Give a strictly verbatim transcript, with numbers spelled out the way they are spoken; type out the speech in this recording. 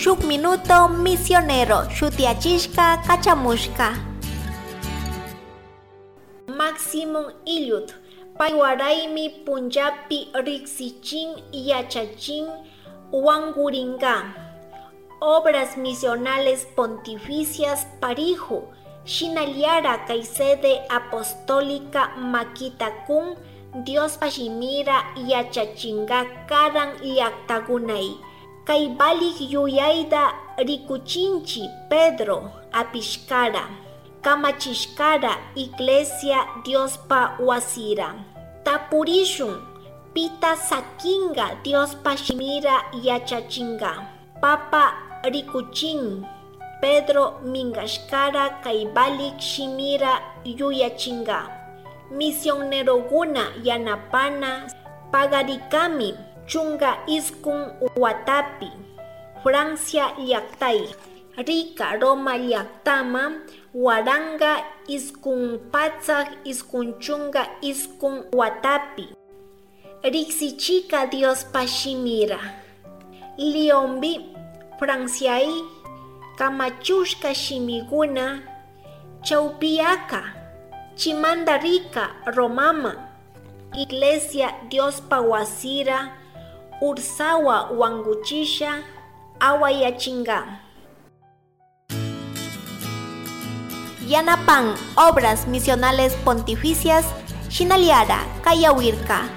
Shuk minuto misionero shutiachishka kachamushka. Maximón Illud, pay waraymi punllapi riksichin, yachachin, wankurinka. Obras Misionales Pontificias Pariju, shinallara kay sede apostólica makita kun Diospa shimira yachachinka karan llaktakunay. Kay valik yuyayta rikuchinchi Pedro apishkara, kamachishkara iglesia Diospa wasira. Tapurishun, pita sakinka Diospa shimira yachachinka? Papa rikuchin, Pedro minkashkara kay valik shimira yuyachinka. Misionerokuna yanapana pagarikami chunka iskun watapi Francia llaktay. Rika Roma llaktaman waranka iskun patsak iskun chunka iskun watapi. Riksichika Diospa shimira. Leonpi, Franciay, kamachushka shimikuna chawpiyaka, chimanta rika Romama, iglesia Diospa wasira ursawa wankuchisha awayachinka. Yanapan Obras Misionales Pontificias, shinallara kayawirka.